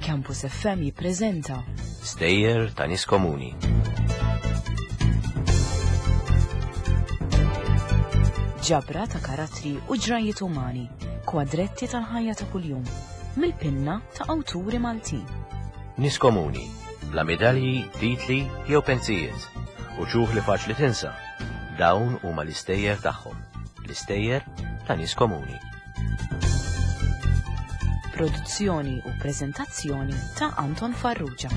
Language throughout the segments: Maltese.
Campus FM jippreżenta Stejjer ta' nies komuni. Ġabra ta' karattri u ġrajiet umani, kwadretti tal-ħajja ta' kuljum, mill-pinna ta' awturi Maltin. Nies komuni, bla medalji, titli jew pensijiet, u ċuħ li faċli tinsa. Dawn huma l-istejjer tagħhom, l-istejjer ta' nies komuni. Produzzjoni u preżentazzjoni ta' Anton Farrugia.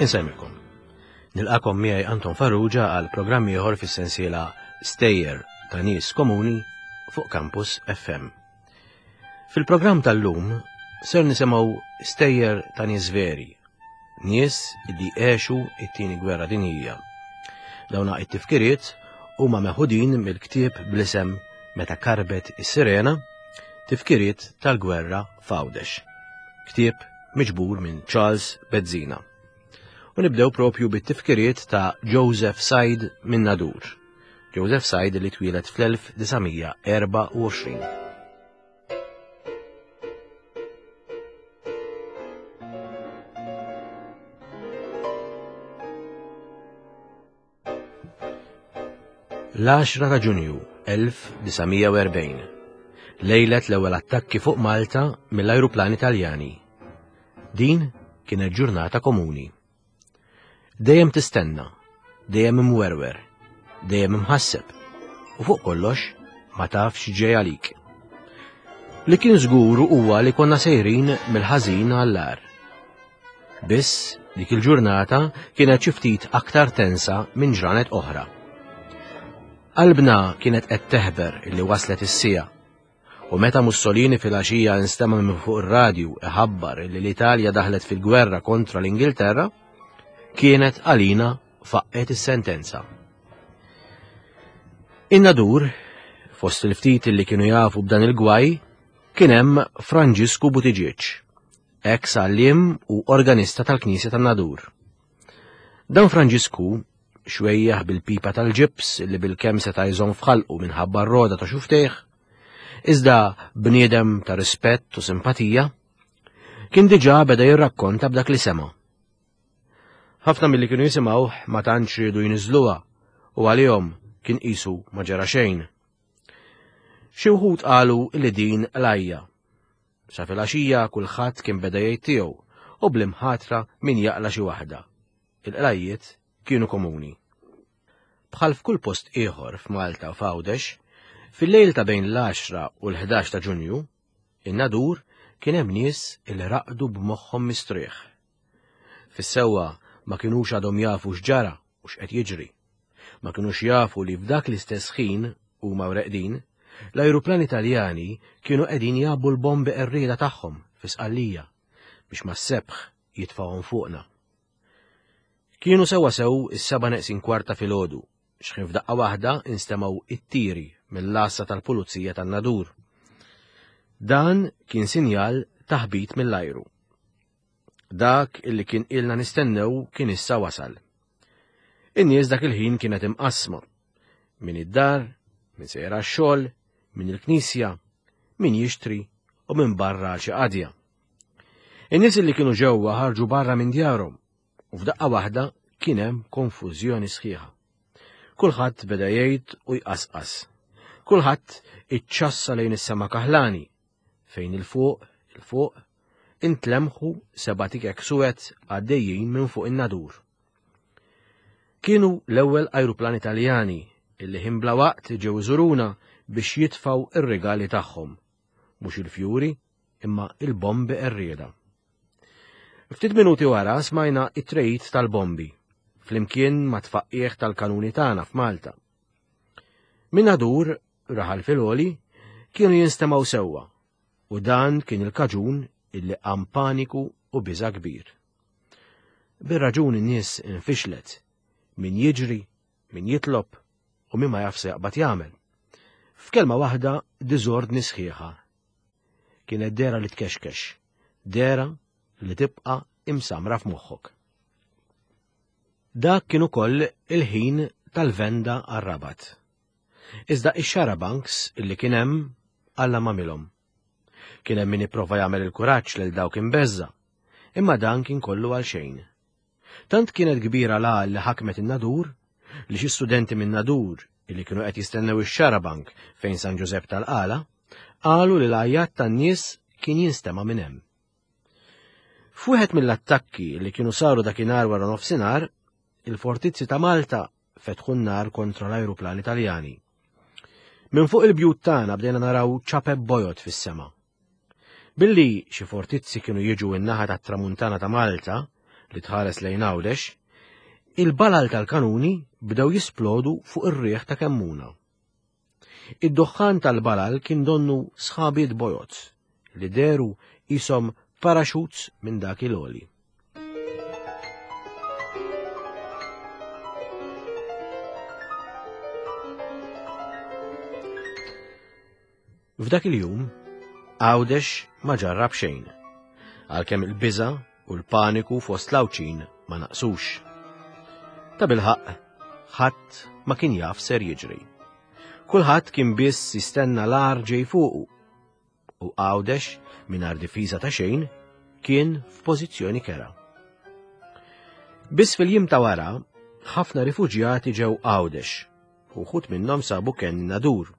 Insemmilkom. Nilqakom miegħi Anton Farrugia għal programm ieħor fis-sensiela Stejjer ta' nies komuni fuq Campus FM. Fil-programm tal-lum ser nisimgħu stejjer ta' nies veri, nies li għexu it-tieni gwerra dinjija. Dawna it-tifkiriet huma meħudin mill-ktieb bl-isem Meta karbet is-sirena, tifkiriet tal-gwerra f'Għawdex. Ktieb miġbur minn Charles Bezzina. U nibdew propju bit-tifkiriet ta' Joseph Said minn Nadur. Joseph Said li twieled fl-1924. L-10 ta' Ġunju 1940, lejlet l-ewwel attakki fuq Malta mill-ajruplani Taljani. Din kienet ġurnata komuni. Dejjem tistenna, dejjem imwerwer, dejjem imħasseb, u fuq kollox ma tafx ġej għalik. Li kien żgur huwa li konna sejrin mill-ħażin għall-agħar. Biss dik il-ġurnata kienet xi ftit aktar tensa minn ġranet oħra. Qalbna kienet qed teħber illi waslet is-siegħa. U meta Mussolini fil-għaxija instema' minn fuq ir-radju iħabbar illi l-Italja daħlet fil-gwerra kontra l-Ingilterra, kienet għalina faqqet is-sentenza. In-nadur, fost il-ftit li kienu jafu b'dan il-gwaj, kien hemm Franġisku Buttigieg, ex għalliem u organista tal-Knisja tan-Nadur. Dan Franġisku, xwejjaħ bil-pipa tal-ġibs li bil-kemm seta' jżomm f'ħalqu minħabba r-roda ta' xuftejh, iżda bniedem ta' rispett u simpatija, kien diġà beda jirrakkonta b'dak li sema'. Ħafna milli kienu jisimgħuh ma tantx riedu jniżżluha u għalihom kien qisu ma ġara xejn. Xi wħud qalu li din qlajja Sa filgħaxija kulħadd kien beda jgħid tiegħu u bl-imħatra min jaqla' xi waħda. Il-qlajjiet kienu komuni. Bħal f'kull post ieħor f'Malta u f'Għawdex, fil-lejl ta' bejn l-10 u l-11 ta' Ġunju, in-Nadur kien hemm nies li raqdu b'moħħhom mistrieħ. Fis-sewwa ma kinux għadhom jafu x'ġara u x'qed jiġri. Ma kinux jafu li f'dak l-istess ħin huma u reqdin, l-ajruplani Taljani kienu qegħdin jgħabbu l-bombi qerrieda tagħhom fi Sqallija biex mas-sebħ jitfgħuhom fuqna. Kienu sewwasew is-seba' neqsin kwarta filgħodu x'ħin f'daqqa waħda instemgħu it-tiri mill-għassa tal-pulizija tan-Nadur. Dan kien sinjal ta' ħbit mill-ajru. Dak illi kien ilna nistennew kien issa wasal. In-nies dak il-ħin kienet imqassma. Min id-dar, min sejra x-xogħol, min il-knisja, min jixtri u min barra għal xi qadja. In-nies illi kienu ġewwa ħarġu barra minn djarhom u f'daqqa waħda kien hemm konfużjoni sħiħa. Kulħadd beda jgħid u jqasqas. Kulħadd iċċassa lejn is-sema kaħlani fejn il-fuq, il-fuq, intlemħu seba' tikek suwed għaddejjin minn fuq in-nadur. Kienu l-ewwel ajruplani Taljani illi ħin bla waqt ġew iżuruna biex jitfgħu ir-rigali tagħhom, mhux il-fjuri imma il-bombi qerrieda. Ftit minuti wara smajna it-trejt tal-bombi, flimkien ma' tfaqqieħ tal-kanuni tagħna f'Malta. Minn nadur, raħal fil-għoli, kienu jinstemgħu sewwa u dan kien il-kaġun illi qam paniku u biża' kbir. Bir-raġun in-nies infixlet, min jiġri, min jitlob. u min ma jaf se jaqbad jagħmel. F'kelma waħda diżordni sħiħa. Kienet dehra li tkexkex, dehra li tibqa' imsamra f'moħħok. Dak kien ukoll il-ħin tal-venda għar-Rabat. Iżda ix-xarabanks illi kien hemm Alla m'għamilhom. Kien hemm min ipprova jagħmel il-kuraġġ lil dawk imbeżża', imma dan kien kollu għal xejn. Tant kienet kbira l-għal li ħakmet in-Nadur li xi studenti min-Nadur illi kienu qed jistennew ix-xarabank fejn San Ġużepp tal-Qala qalu li l-għajjat tan-nies kien jinstema' minn hemm. F'wieħed mill-attakki li kienu saru dakinhar wara nofsinhar, il-fortizzi ta' Malta fetħu n-nar kontra l-ajruplani Taljani. Minn fuq il-bjut tagħna bdejna naraw ċapep bojod fis-sema. Billi xi fortizzi kienu jiġu n-naħa tat-tramuntana ta' Malta li tħares lejn Għawdex, il-balal tal-kanuni bdew jisplodu fuq ir-riħ ta' Kemmuna. Id-duħħan tal-balal kien donnu sħabiet bojod li dehru qishom parachutes minn dak il-għoli. F'dak il-jum, Għawdex ma ġarrab xejn, għalkemm il-biża' u l-paniku fost l-Għawdxin ma naqsux. Tabilħaqq, ħadd ma kien jaf ser jiġri. Kulħadd kien biss jistenna l-agħar ġej fuqu. U Għawdex, mingħajr difiża ta' xejn, kien f'pożizzjoni kerha. Biss fil-jiem ta' wara, ħafna rifuġjati ġew Għawdex, u wħud minnhom sabu kenn Nadur.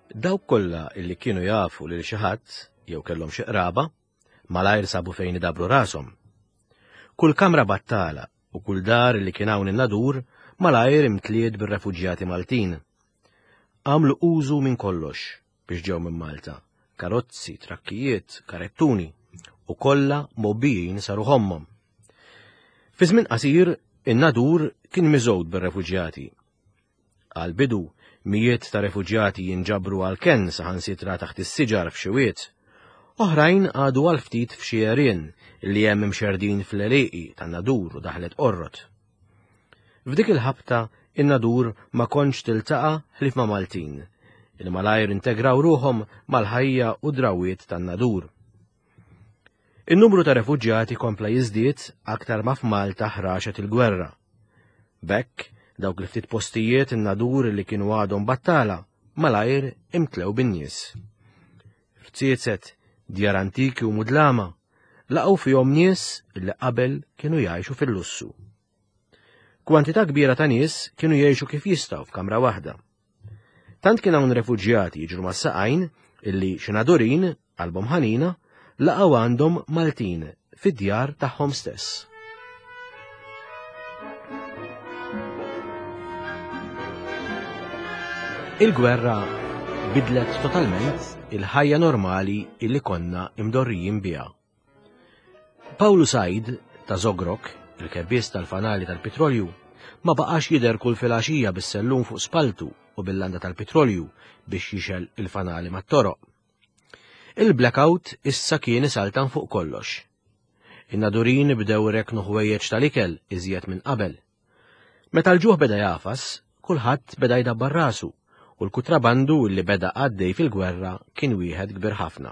Dawk kollha illi kienu jafu lil xi ħadd jew kellhom xi qraba, malajr sabu fejn idabru rashom. Kull kamra battala u kull dar li kien hawn in-Nadur malajr imtliet bir-refuġjati Maltin. Għamlu użu minn kollox biex ġew minn Malta, karozzi, trakkijiet, karettuni, u kollha mgħobbijin saru ħommhom. Fi żmien qasir, in-Nadur kien miżgħud bir-refuġjati. Għall-bidu, mijiet ta' refuġjati jinġabru għall-kenn saħansitra taħt is-siġar f'xi wied. Oħrajn qagħdu għal ftit f'xi għerien li hemm imxerrdin fl-għelieqi tan-Nadur u Daħlet Qorrot. F'dik il-ħabta, in-Nadur ma kontx tiltaqa' ħlief ma' Maltin, li malajr integraw ruħhom mal-ħajja u d-drawwiet tan-Nadur. In-numru ta' refuġjati kompla jiżdied aktar ma f'Malta ħraxet il-gwerra. B'hekk, dawk il-ftit postijiet in-Nadur li kienu għadhom battala malajr imtlew bin-nies. Rziezet, djar antiki u mudlama, laqgħu fihom nies li qabel kienu jgħixu fil-lussu. Kwantità kbira ta' nies kienu jgħixu kif jistgħu f'kamra waħda. Tant kien hawn refuġjati jiġru mas-saqajn illi xi Nadurin, qalbhom ħanina, laqgħu għandhom Maltin fid-djar tagħhom stess. Il-gwerra bidlet totalment il-ħajja normali illi konna imdorrijin biha. Pawlu Said ta' Żogrok, il-kebbies tal-fanali tal-pitrolju, ma baqax jidher kull filgħaxija bis-sellum fuq spalltu u bil-landa tal-pitrolju biex jixgħel il-fanali mat-toroq. Il-blackout issa kien isaltan fuq kollox. In-Nadurin bdew irekknu ħwejjeġ tal-ikel iżjed minn qabel. Meta l-ġuħ beda jagħfas, kulħadd beda jdabbar rasu u l-kutrabandu li beda għaddej fil-gwerra kien wieħed kbir ħafna.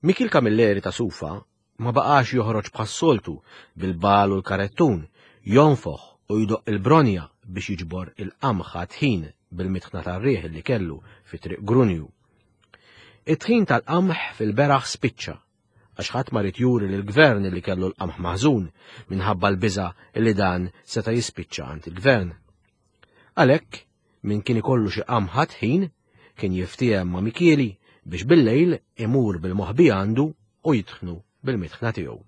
Mikiel Camilleri ta' Sufa ma baqax joħroġ bħas-soltu bil-bagħal u l-karettun, jonfoħ u jdoqq il-bronja biex jiġbor il-qamħ għat-tħin bil-mitħna tar-riħ li kellu fi Triq Grunju. It-tħin tal-qamħ fil-beraħ spiċċa għax ħadd ma ried juri lill-gvern li kellu l-qamħ maħżun minħabba l-biża' li dan seta' jispiċċa għand il-gvern. Għalhekk, min kien ikollu xi qamħ għat-tħin kien jiftiehem ma' Mikieli biex bil-lejl imur bil-moħbi għandu u jitħnu bil-mitħna tiegħu.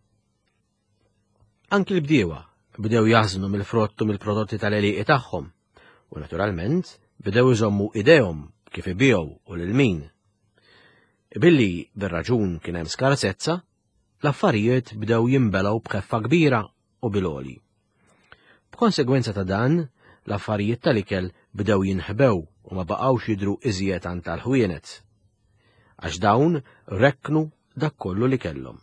Anki l-bdiewa bdew jaħżnu mill-frott u mill-prodotti tal-għelieqi tagħhom u naturalment bdew iżommu idejhom kif ibigħu u lil min. Billi bir-raġun kien hemm skarsezza, l-affarijiet bdew jinbelgħu b'ħeffa kbira u bil-għoli. B'konsegwenza ta' dan, l-affarijiet tal-ikel bdew jinħbew u ma baqgħux jidhru iżjed għand tal-ħwienet. Għax dawn rekknu dak kollu li kellhom.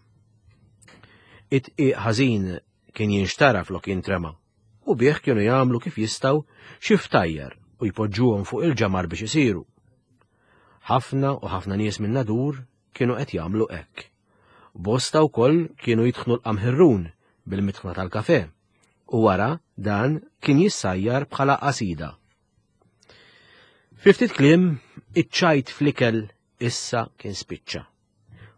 It-tqiq ħażin kien jinxtara flok jintrema. u bih kienu jagħmlu kif jistgħu xi ftajjar u jpoġġuhom fuq il-ġamar biex isiru. Ħafna u ħafna nies minn Nadur kienu qed jagħmlu hekk. Bosta wkoll kienu jitħnu l-qamħirrun bil-mitħna tal-kafe u wara dan kien jissajjar bħala qasida. Fi ftit kliem, iċ-ċajt fl-ikel issa kien spiċċa.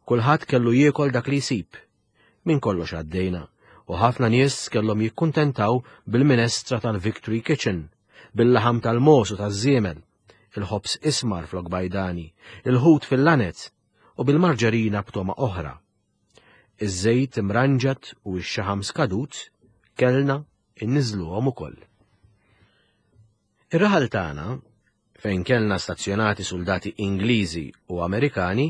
Kulħadd kellu jiekol dak li jsib. Minn kollox għaddejna u ħafna nies kellhom jikkuntentaw bil-minestra tal-Victory Kitchen, bil-laħam tal-mogħoż u taż-żiemel, il-ħobż ismar flok bajdani, il-ħut fil-lanez u bil-marġerina b'togħma oħra. Iż-żejt imranġat u x-xaħam skadut kellna inniżżluhom ukoll. Ir-raħal tagħna, fejn kellna stazzjonati suldati Ingliżi u Amerikani,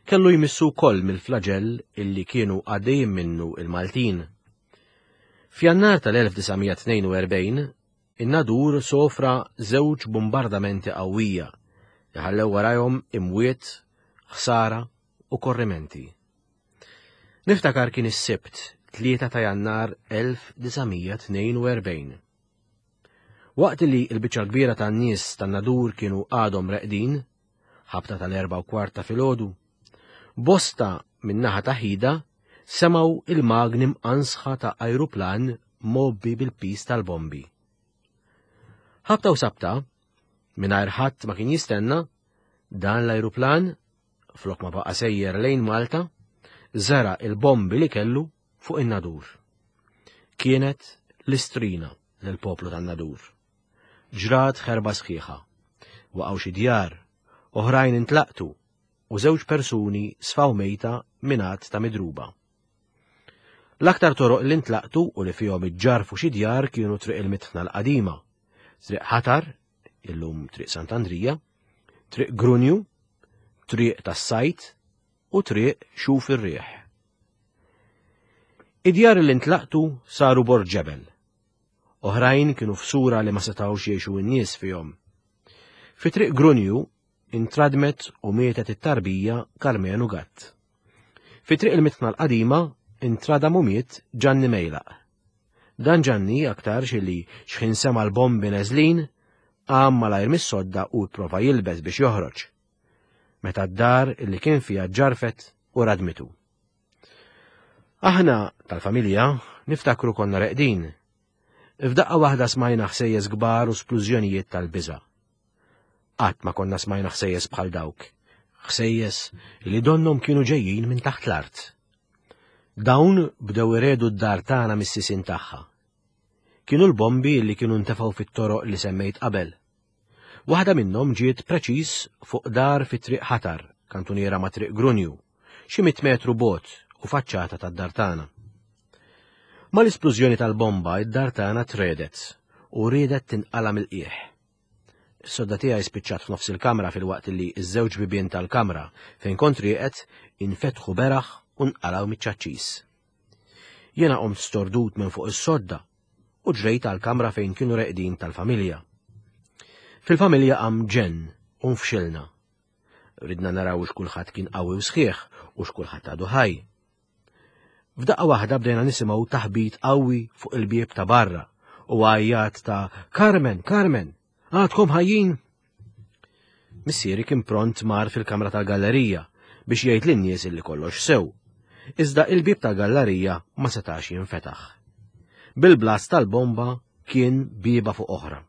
kellu jmissu wkoll mill-flaġell illi kienu għaddejjin minnu il-Maltin. F'Jannar tal-1942, in-Nadur sofra żewġ bombardamenti qawwija li ħallew warajhom imwiet, ħsara u korrimenti. Niftakar kien is-Sibt, 3 ta' Jannar 1942. Waqt li l-biċċa l-kbira tan-nies tan-Nadur kienu għadhom reqdin, ħabta tal-erba' u kwart ta' filgħodu, bosta min-naħa ta' Ħida semgħu il-magni mqansħa ta' ajruplan mgħobbi bil-piż tal-bombi. Ħabta u sabta, mingħajr ħadd ma kien jistenna, dan l-ajruplan, flok ma baqa' sejjer lejn Malta, żera' il-bombi li kellu fuq in-Nadur. Kienet l-istrina lill-poplu tan-Nadur. Ġrat ħerba sħiħa. Waqgħu xi djar, oħrajn intlaqtu u żewġ persuni sfaw mejta minn għadd ta' midruba. L-aktar toroq li ntlaqtu u li fihom iġġarfu xi djar kienu Triq il-Mitħna l-Qadima, Triq Ħatar, illum Triq Sant'Andrija, Triq Grunju, Triq tas-Sajt u Triq Xuf ir-Riħ. Id-djar li ntlaqtu saru bord ġebel. Oħrajn kienu f'sura li ma setgħux jgħixu n-nies fihom. Fi Triq Grunju intradmet u mietet it-tarbija Karmenu Gatt. Fi Triq il-Mitħna l-Qadima intradam u miet Ġanni Mejlaq. Dan Ġanni aktarx li xħin sema' l-bombi neżlin, qam malajr mis-sodda u pprova jilbes biex joħroġ. Meta d-dar li kien fiha ġġarfet u radmitu. Aħna tal-familja niftakru konna reqdin. F'daqqa waħda smajna ħsejjes kbar u splużjonijiet tal-biża'. Qatt ma konna smajna ħsejjes bħal dawk, ħsejjes li donnhom kienu ġejjin minn taħt l-art. Dawn bdew iredu d-dar tagħna mis-sisien tagħha. Kienu l-bombi li kienu ntefgħu fit-toroq li semmejt qabel. Waħda minnhom ġiet preċiż fuq dar fi Triq Ħatar, kantuniera ma' Triq Grunju, xi mitt metru bogħod u faċċata tad-dar tagħna. Mal-isplużjoni tal-bomba id-dar tagħna tredet u riedet tinqala' mill-qiegħ. Is-sodda tiegħi spiċċat f'nofs il-kamra filwaqt li ż-żewġ bibien tal-kamra fejn kont rieqed infetħu beraħ u nqalgħu miċ-ċaċċis. Jiena qomt stordut minn fuq is-sodda u ġrejt għall-kamra fejn kienu reqdin tal-familja. Fil-familja qam ġenn u nfxilna. Ridna naraw x'kulħadd kien qawwi u sħiħ u x'kulħadd għadu ħaj. F'daqqa waħda bdejna nisimgħu taħbit qawwi fuq il-bieb ta' barra u għajjat ta' Carmen, Carmen, għadkom ħajjin? Missieri kien pront mar fil-kamra tal-gallerija biex jgħid lin-nies illi kollox sew. Iżda il-bieb tal-gallerija ma setax jinfetaħ. Bil-blast tal-bomba kien bieba fuq oħra.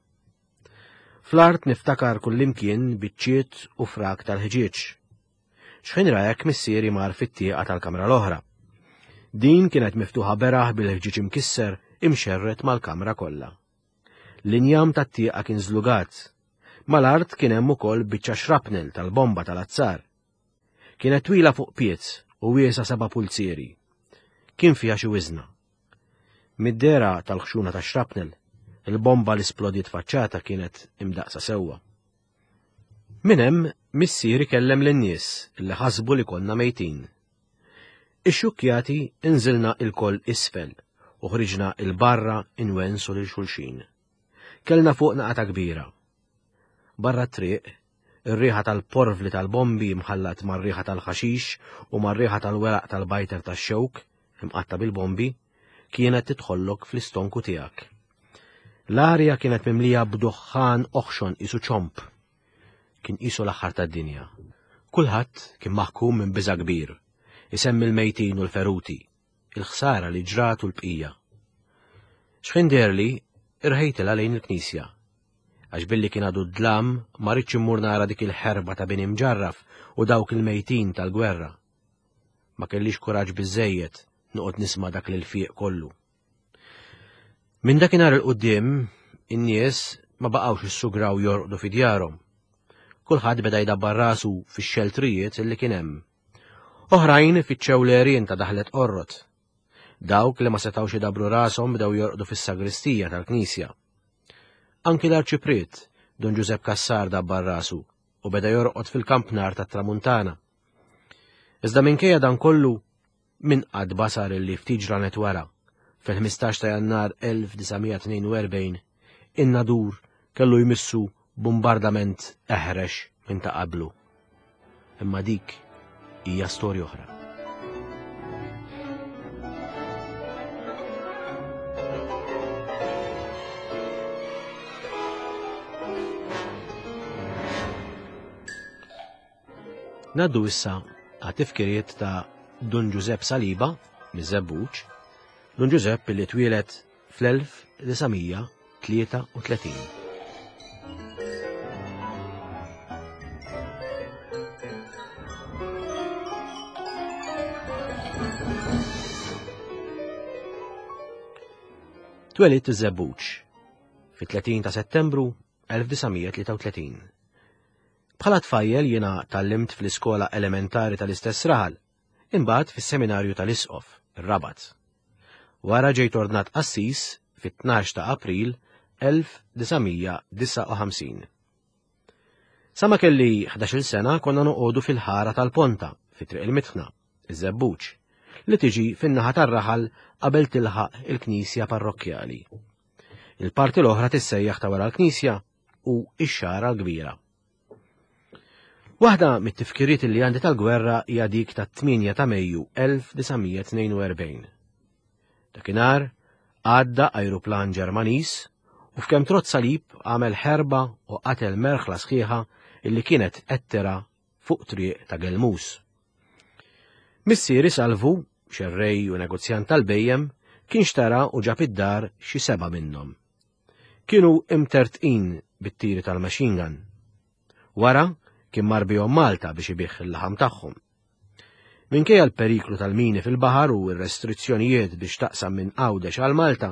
Fl-art niftakar kullimkien biċċiet u frak tal-ħġieġ. Xħin ra hekk missieri mar fit-tieqa tal-kamra l-oħra. Din kienet miftuħa beraħ bil-ħġieġ imkisser imxerred mal-kamra kollha. L-injam tat-tieqa kien żlugat. Mal-art kien hemm ukoll biċċa shrapnel tal-bomba tal-azzar. Kienet twila fuq pied u wiesgħa seba' pulzieri. Kien fiha xi wiżna. Mid-dehra tal-ħxuna tax-shrapnel, il-bomba li splodiet faċċata kienet imdaqqsa sewwa. Minn hemm, missieri kellem lin-nies li ħasbu li konna mejtin. Ixxukkjati inżilna ilkoll isfel u ħriġna 'il barra inwensu lil xulxin. Kellna fuqna qatgħa kbira. Barra t-triq, Ir-riħa tal-porvli tal-bombi mħallat mar-riħa tal-ħaxix u mar-riħa tal-weraq tal-bajter tax-xewk imqatta' bil-bombi kienet tidħollok fl-istonku tiegħek. L-arja kienet mimlija b'duħħan oħxon qisu ċomb. Kien qisu l-aħħar tad-dinja. Kulħadd kien maħkum minn biża' kbir, isemmi l-mejtin u l-feruti, il-ħsara li ġrat u l-bqija. Xħin deherli, irħejtilha lejn il-knisja. Għax billi kien għadu d-dlam, ma ridtx immur nara dik il-ħerba ta' bini mġarraf u dawk il-mejtin tal-gwerra. Ma kellix kuraġġ biżżejjed noqgħod nisma' dak l-ilfiq kollu. Minn dakinhar 'il quddiem, in-nies ma baqgħux issugraw jorqdu fi djarhom. Kulħadd beda jdabbar rasu fix-xeltrijiet li kien hemm. Oħrajn fittxew l-għerien ta' daħlet Qorrot. Dawk li ma setgħux idabbru rashom bdew jorqdu fis-sagristija tal-knisja. Anki l-Arċipriet, Dun Ġużepp Cassar dabbar rasu u beda jorqod fil-kampnar tat-Tramuntana. Iżda minkejja dan kollu, Min qatt basar illi ftit ġranet wara, fil-15 ta' Jannar 1942, in-Nadur kellu jmissu bumbardament eħrex minn ta' qablu. Imma dik hija storja oħra. Ngħaddu issa għat-tifkiriet ta' Dun Ġużepp Saliba miż-Żebbuġ, Dun Ġużepp li twieled fl-1933. Twelidt iż-Żebbuġ fit-30 ta' Settembru 1933. Bħala tfajjel jiena tgħallimt fl-iskola elementari tal-istess raħal, imbagħad fis-seminarju tal-Isqof, ir-Rabat. Wara ġejt ordnat qassis fit-12 ta' April 1959. Sa ma kelli 11-il sena konna noqogħdu fil-ħara tal-Ponta, fi Triq il-Mitħna, iż-Żebbuġ, li tiġi fin-naħa tar-raħal qabel tilħaq il-knisja parrokkjali. Il-parti l-oħra tissejjaħ ta' wara l-knisja u x-xagħra l-kbira. Waħda mit-tifkiriet li għandi tal-gwerra hija dik tat-8 ta' Mejju 1942. Dakinhar għadda ajruplan Ġermaniż u f'kemm trott salib għamel ħerba u qatel merħla sħiħa illi kienet qed tira fuq triq ta' Gelmus. Missieri Salvu, xerrej u negozjant tal-bejjem, kien xtara u ġab id-dar xi seba' minnhom. Kienu imtertqin bit-tiri tal-machine gun. Wara, kien mar bihom Malta biex ibigħ il-laħam tagħhom. Minkejja l-periklu tal-mini fil-baħar u r-restrizzjonijiet biex taqsam minn Għawdex għal Malta,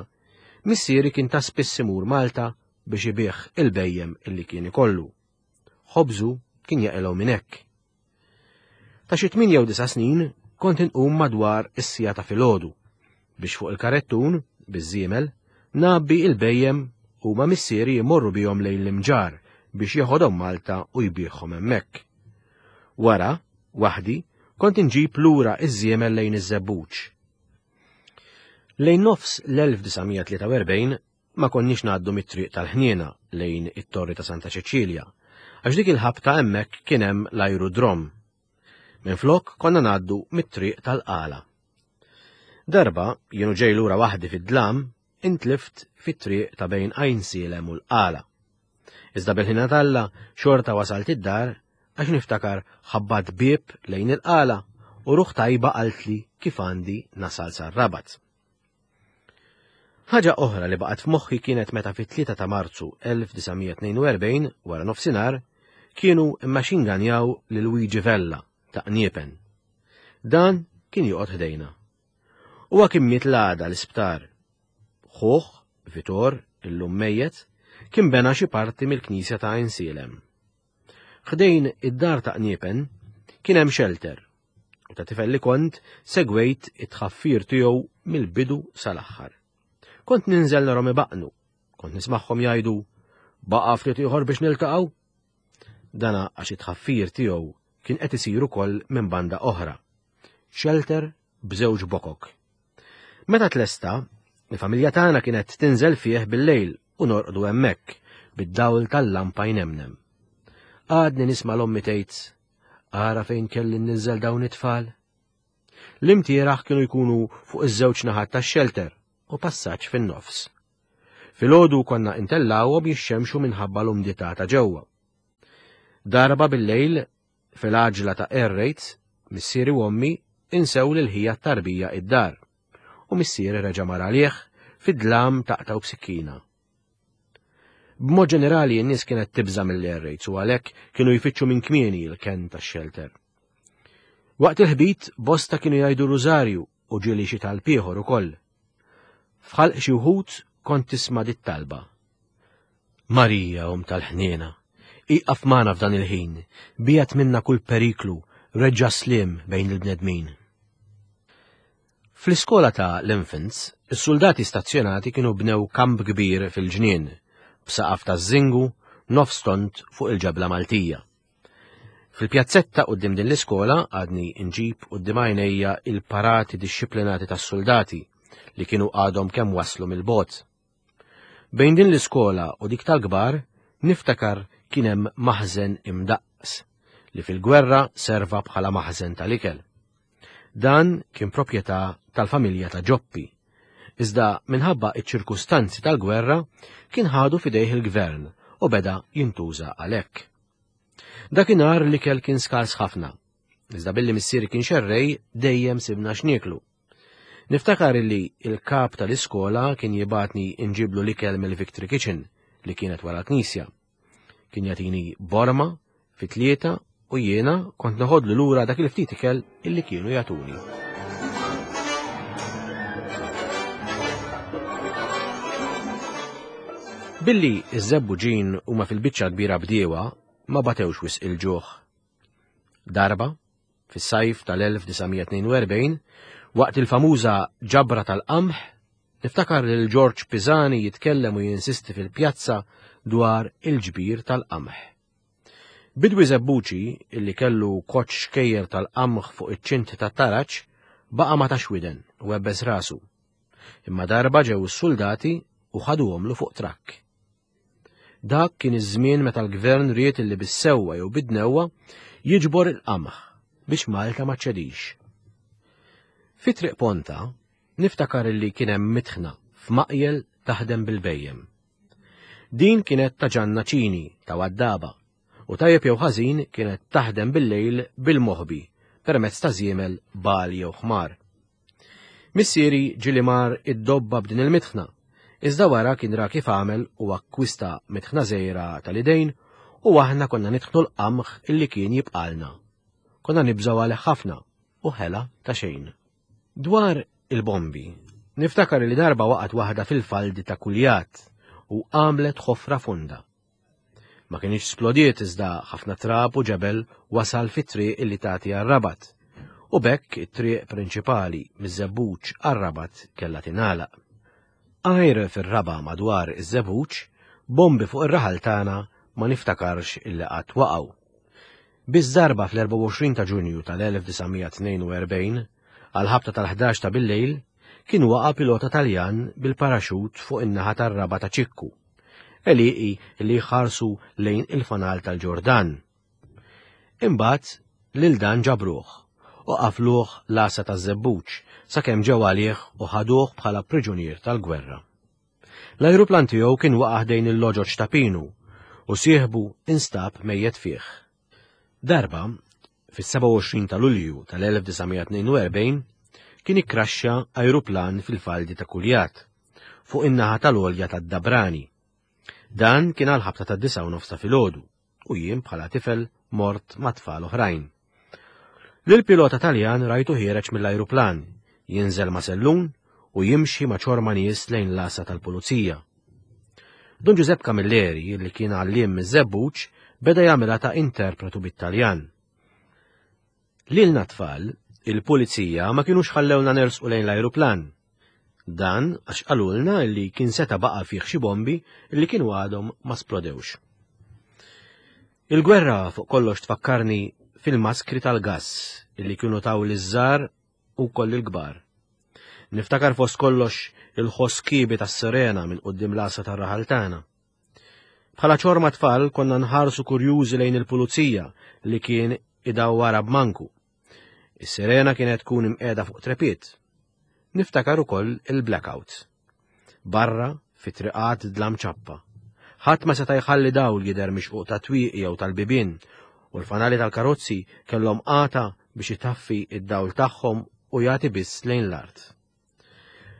missieri kien ta' spiss imur Malta biex ibigħ il-bhejjem illi kien ikollu. Ħobżu kien jaqilgħu minn hekk. Ta' xi tmien jew disa' snin kont inqum madwar is-siegħa ta' filgħodu biex fuq il-karettun, biż-żiemel, ngħabbi il-bhejjem u ma' missieri jmorru bihom lejn l-Imġarr biex jeħodhom Malta u jbigħhom hemmhekk. Wara, waħdi, kont inġib lura iż-żiemel lejn iż-Żebbuġ. Lejn nofs l-1943 ma konniex ngħaddu mit-triq tal-Ħniena lejn it-Torri ta' Santa Ċeċilja, għax dik il-ħabta hemmhekk kien hemm l-ajrudrom. Minflok konna ngħaddu mit-triq tal-Qala. Darba, jienu ġej lura waħdi fid-dlam, intlift fit-triq ta' bejn Għajnsielem u l-Qala. Iżda bil-ħina t'Alla xorta wasalt id-dar għax niftakar ħabbat bieb lejn il-Qala u ruħ tajba qaltli kif għandi nasal sar-Rabat. Ħaġa oħra li baqgħet f'moħħi kienet meta fit-3 ta' Marzu 1942 wara nofsinhar kienu immaxinganjaw lil Luigi Vella ta' Qniepen. Dan kien joqgħod ħdejna. Huwa kien miet l-għada l-isptar. Ħuh, Vitor, illum mejjet, kien bena xi parti mill-knisja ta' Għajnsielem. Ħdejn id-dar ta' Qniepen kien hemm shelter u ta' tifel li kont segwejt it-tħaffir tiegħu mill-bidu sal-aħħar. Kont ninżel narhom ibaqnu, kont nismagħhom jgħidu baqa' ftit ieħor biex niltaqgħu. Dana għax it-tħaffir tiegħu kien qed isir ukoll minn banda oħra. Shelter b'żewġ bokok. Meta tlesta, il-familja tagħna kienet tinżel fih bil-lejl u norqdu hemmhekk bid-dawl tal-lampa jnemnem. Għadni nisma' l-ommi tgħid, ara fejn kelli nniżżel dawn it-tfal. L-imtieraħ kienu jkunu fuq iż-żewġ naħat tax-xelter u passaġġ fin-nofs. Filgħodu konna intellgħuhom jixxemxu minħabba l-umdità ta' ġewwa. Darba bil-lejl, fil-għaġla ta' air raids, missieri u ommi insew lil ħija t-tarbija id-dar u missieri reġa' mar għalih fid-dlam taqtgħu b'sikkina. B'mod ġenerali n-nies kienet tibża' mill-air raids u għalhekk kienu jfittxu minn kmieni l-kenn tax-xelter. Waqt il-ħbit bosta kienu jgħidu rużarju u ġieli xi talb ieħor ukoll. F'ħalq xi wħud kont tisma' dit-talba. Marija, Omm tal-ħniena, ieqaf magħna f'dan il-ħin, biegħed minna kull periklu, reġġa' s-sliem bejn il-bnedmin. Fl-iskola ta' l-Infants, is-suldati stazzjonati kienu bnew kamp kbir fil-ġnien, b'saqaf taż-żingu, nofs tond fuq il-ġebla Maltija. Fil-pjazzetta quddiem din l-iskola għadni nġib quddiem għajnejja il-parati dixxiplinati tas-suldati li kienu għadhom kemm waslu mill-bogħod. Bejn din l-iskola u dik tal-kbar niftakar kien hemm maħżen imdaqqs li fil-gwerra serva bħala maħżen tal-ikel. Dan kien proprjetà tal-familja ta' Ġoppi, iżda minħabba iċ-ċirkustanzi tal-gwerra kien ħadu f'idejh il-gvern u beda jintuża għalhekk. Dakinhar l-ikel kien skars ħafna, iżda billi missieri kien xerrej dejjem sibna x'nieklu. Niftakar illi il-kap tal-iskola kien jibgħatni nġiblu l-ikel mill-Victory Kitchen li kienet wara l-knisja. Kien jagħtini borma fit-tlieta u jiena kont noħodlu lura dak il-ftit ikel illi kienu jagħtuni. Billi iż-żebbuġin huma fil-biċċa kbira bdiewa ma batewx wisq il-ġuħ. Darba, fis-sajf tal-1942, waqt il-famuża ġabra tal-qamħ, niftakar lil George Pisani jitkellem u jinsisti fil-pjazza dwar il-ġbir tal-qamħ. Bidwi Żebbuċi, illi kellu koċċ xkejjer tal-qamħ fuq iċ-ċint tat-taraġ, baqa' ma tax widen u webbes rasu. Imma darba ġew is-suldati u ħaduhomlu fuq trakk. Dak kien iż-żmien meta l-gvern ried illi bis-sewwa jew bid-dnewwa jiġbor il-qamħ biex Malta ma ċċedix. Fi Triq Ponta niftakar illi kien hemm mitħna f'maqjel taħdem bil-bhejjem. Din kienet ta' Ġanna Ċini ta' Waddaba u tajjeb jew ħażin kienet taħdem bil-lejl bil-moħbi permezz ta' żiemel bagħal jew ħmar. Missieri ġieli mar id-dobba b'din il-mitħna, iżda wara kien ra kif għamel u akkwista mitħna żgħira tal-idejn u aħna konna nitħnu l-qamħ illi kien jibqalna. Konna nibżgħu għalih ħafna u ħela ta' xejn. Dwar il-bombi, niftakar li darba waqgħet waħda fil-faldi ta' Kuljat u għamlet ħofra fonda. Ma kienx splodiet iżda ħafna trab u ġebel wasal fit-triq illi tagħti għar-Rabat. U b'hekk it-triq prinċipali miż-Żebbuġ għar-Rabat kellha tingħalaq. Għajr fir-raba' madwar iż-Żebbuġ, bombi fuq ir-raħal tagħna ma niftakarx illi qatt waqgħu. Biss darba fl-24 ta' Ġunju tal-1942, għall-ħabta tal-11 ta' billejl, kien waqa' pilota Taljan bil-paraxut fuq in-naħa tar-raba' ta' Ċikku. Għelieqi li jħarsu lejn il-fanal tal-Ġordan. Imbagħad lil dan ġabruh u qafluh l-għassa taż-żebbuġ sakemm ġew għalih u ħaduh bħala priġunier tal-gwerra. L-ajruplan tiegħu kien waqa' ħdejn il-loġoġ ta' Pinu u sieħbu instab mejjet fih. Darba, fis-27 ta' Lulju tal-1942, kien ikkraxxa ajruplan fil-faldi ta' Kuljat, fuq in-naħa tal-għolja tad-Dabrani. Dan kien għal ħabta ta' disa' u nofs ta' filgħodu u jien bħala tifel mort ma' tfal oħrajn. Lil-pilota Taljan rajtu ħiereġ mill-ajruplan, jinżel ma' sellun u jimxi ma' ċorma nies lejn l-għassa tal-pulizija. Dun Ġużepp Camilleri, li kien għalliem miż-Żebbuġ, beda jagħmilha ta' interpretu bit-Taljan. Lilna tfal, il-pulizija ma kinux ħallewna nersqu lejn l-ajruplan. Dan għax qalulna li kien seta' baqa' fih xi bombi li kienu għadhom ma splodewx. Il-gwerra fuq kollox tfakkarni fil-maskri tal-gass li kienu taw liż-żgħar u wkoll il-kbar. Niftakar fost kollox il-ħoss kiebi tas-sirena minn quddiem l-għassa tar-raħal tagħna. Bħala ċorma tfal konna nħarsu kurjużi lejn il-pulizija li kien idawwara b'manku. Is-sirena kienet tkun imqiegħda fuq trepied. Niftakar ukoll il-blackout. Barra, Fit-triqat dlam ċappa. Ħadd ma seta' jħalli dawl jidher mix-xquq tat-twieqi jew tal-bibien u l-fanali tal-karozzi kellhom għata biex itaffi id-dawl tagħhom u jagħti biss lejn l-art.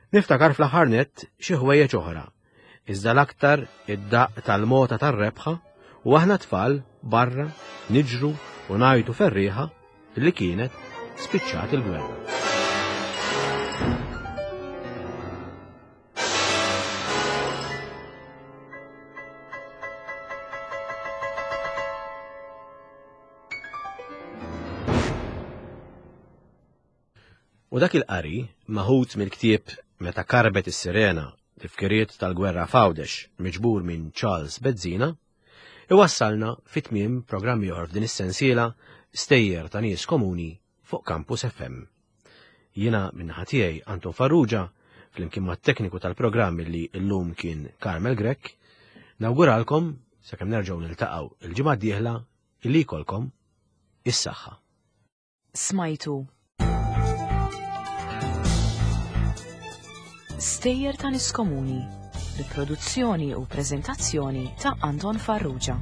Niftakar fl-aħħar nett xi ħwejjeġ oħra, iżda l-aktar id-daqq tal-mota tar-rebħa u aħna tfal barra niġru u ngħajtu ferrieħa li kienet spiċċat il-gwerra. U dak il-qari, maħut mill-ktieb Meta karbet is-sirena, tifkiriet tal-gwerra f'Għawdex, miġbur minn Charles Bezzina, iwassalna fi tmiem programm ieħor f'din is-sensiela Stejjer ta' nies komuni fuq Campus FM. Jiena min-naħa tiegħi Anton Farrugia, flimkien mat-tekniku tal-programm li llum kien Carmel Grech, nawguralkom sakemm nerġgħu niltaqgħu il-ġimgħa d-dieħla illi jkollkom is-saħħa. Smajtu Stejjer ta' Nies Komuni bi produzzjoni u preżentazzjoni ta' Anton Farrugia.